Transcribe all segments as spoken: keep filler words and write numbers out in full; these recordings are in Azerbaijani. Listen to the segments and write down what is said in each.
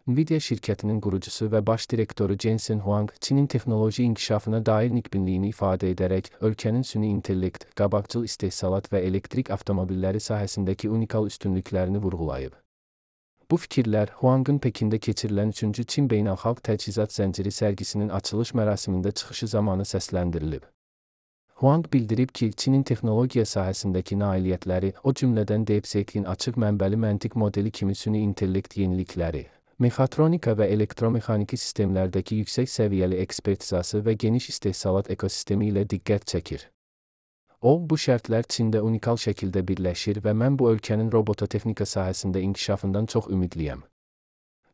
Nvidia şirkətinin qurucusu və baş direktoru Jensen Huang, Çinin texnoloji inkişafına dair nikbinliyini ifadə edərək, ölkənin süni intellekt, qabaqcıl istehsalat və elektrik avtomobilləri sahəsindəki unikal üstünlüklərini vurğulayıb. Bu fikirlər Huang'ın Pekində keçirilən üçüncü Çin Beynəlxalq Təchizat Zənciri sərgisinin açılış mərasimində çıxışı zamanı səsləndirilib. Huang bildirib ki, Çinin texnologiya sahəsindəki nailiyyətləri, o cümlədən DeepSeek-in açıq mənbəli məntiq modeli kimi süni intellekt yenilikləri, mexatronika və elektromexaniki sistemlərdəki yüksək səviyyəli ekspertizası və geniş istehsalat ekosistemi ilə diqqət çəkir. O, bu şərtlər Çində unikal şəkildə birləşir və mən bu ölkənin robototexnika sahəsində inkişafından çox ümidliyəm.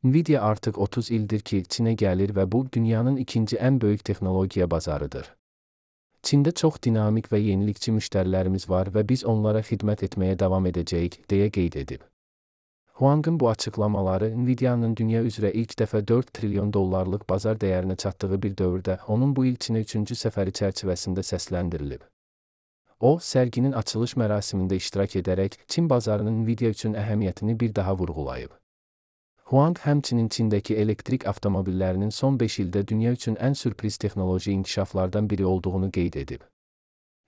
Nvidia artıq otuz ildir ki, Çinə gəlir və bu, dünyanın ikinci ən böyük texnologiya bazarıdır. Çində çox dinamik və yenilikçi müştərilərimiz var və biz onlara xidmət etməyə davam edəcəyik, deyə qeyd edib. Huang'ın bu açıqlamaları Nvidia'nın dünya üzrə ilk dəfə dörd trilyon dollarlıq bazar dəyərinə çatdığı bir dövrdə onun bu il Çinə üçüncü səfəri çərçivəsində səsləndirilib. O, sərginin açılış mərasimində iştirak edərək Çin bazarının Nvidia üçün əhəmiyyətini bir daha vurğulayıb. Huang həmçinin Çindəki elektrik avtomobillərinin son beş ildə dünya üçün ən sürpriz texnoloji inkişaflardan biri olduğunu qeyd edib.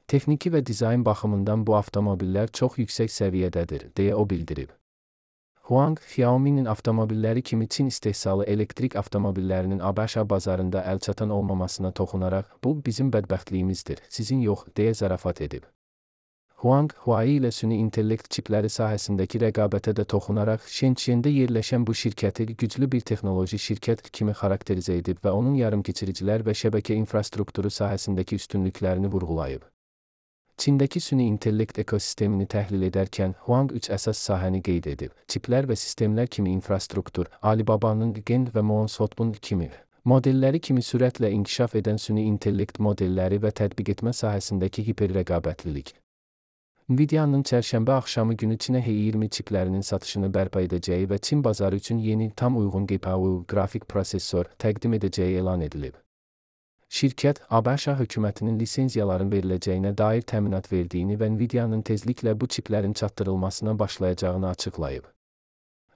Texniki və dizayn baxımından bu avtomobillər çox yüksək səviyyədədir, deyə o bildirib. Huang, Xiaomi'nin avtomobilləri kimi Çin istehsalı elektrik avtomobillərinin ABŞ bazarında əlçatan olmamasına toxunaraq, bu bizim bədbəxtliyimizdir, sizin yox, deyə zarafat edib. Huang, Huawei ilə süni intellekt çipləri sahəsindəki rəqabətə də toxunaraq, Shenzhendə yerləşən bu şirkəti güclü bir texnoloji şirkət kimi xarakterizə edib və onun yarımkeçiricilər və şəbəkə infrastrukturu sahəsindəki üstünlüklərini vurğulayıb. Çindəki süni intellekt ekosistemini təhlil edərkən, Huang üç əsas sahəni qeyd edib. Çiplər və sistemlər kimi infrastruktur, Alibaba'nın Gen və Monsotbun kimi modelləri kimi sürətlə inkişaf edən süni intellekt modelləri və tətbiq etmə sahəsindəki hiperrəqabətlilik. Nvidia'nın çərşənbə axşamı günü Çinə H iyirmi çiplərinin satışını bərpa edəcəyi və Çin bazarı üçün yeni, tam uyğun G P U qrafik prosesor təqdim edəcəyi elan edilib. Şirkət, ABŞ hökumətinin lisenziyaların veriləcəyinə dair təminat verdiyini və Nvidia'nın tezliklə bu çiplərin çatdırılmasına başlayacağını açıqlayıb.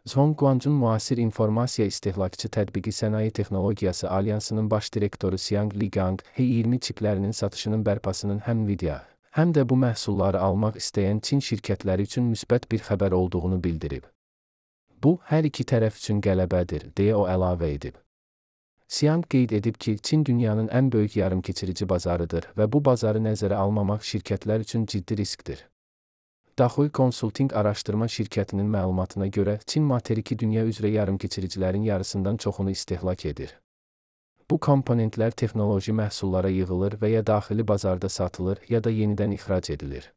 Zhongguancun müasir informasiya istehlakçı tətbiqi sənaye texnologiyası alyansının baş direktoru Xiang Ligang, H iyirmi çiplərinin satışının bərpasının həm Nvidia, həm də bu məhsulları almaq istəyən Çin şirkətləri üçün müsbət bir xəbər olduğunu bildirib. Bu, hər iki tərəf üçün qələbədir, deyə o əlavə edib. Xiang qeyd edib ki, Çin dünyanın ən böyük yarımkeçirici bazarıdır və bu bazarı nəzərə almamaq şirkətlər üçün ciddi riskdir. Daxoy Consulting araşdırma şirkətinin məlumatına görə, Çin materiki dünya üzrə yarımkeçiricilərin yarısından çoxunu istehlak edir. Bu komponentlər texnoloji məhsullara yığılır və ya daxili bazarda satılır, ya da yenidən ixrac edilir.